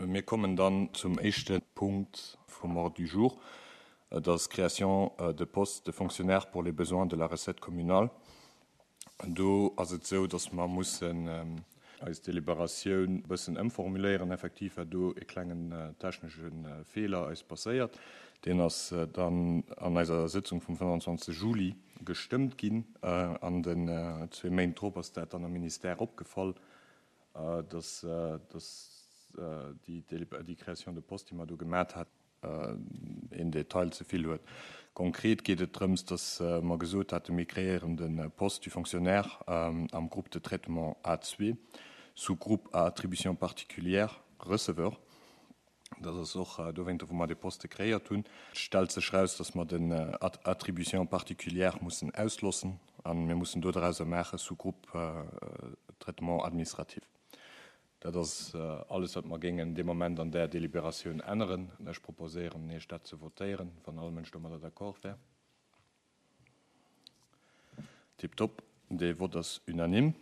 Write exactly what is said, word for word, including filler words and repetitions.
Mir kommen dann zum éischte Punkt vum Ordre du jour, dat ass d'Création de postes de fonctionnaires pour les besoins de la recette communale. Do ass et esou, dass mer mussen eis Deliberatioun e bëssen ëmformuléieren. Effektiv war do e klengen technesche Feeler eis passéiert. Deen ass dann an eiser Sëtzung vum fënnefanzwanzeg Juli gestëmmt ginn. An den zwee Méint drop ass dat dann am Ministère opgefall, dass déi Création de poste, déi mer do gemat haten, een Detail ze vill huet. Konkret geet et drëms, dass mer gesot haten, mir kreéieren de Poste du fonctionnaire am Groupe de traitement A zwee, sous-groupe à attribution particulière, receveur. Dat ass och dowéinter, wou mer dee Poste kreéiert hunn. Et stellt sech eraus, dass mer den attribution particulière mussen auslossen a mir mussen dodrauser maache sous-groupe traitement administratif. Dat ass alles, wat mer géingen dee Moment an där Deliberatioun änneren. Ech proposéieren Iech, dat ze votéieren, wann all Mënsch domadder d'accord wär. Tiptop, dee Vott ass unanime.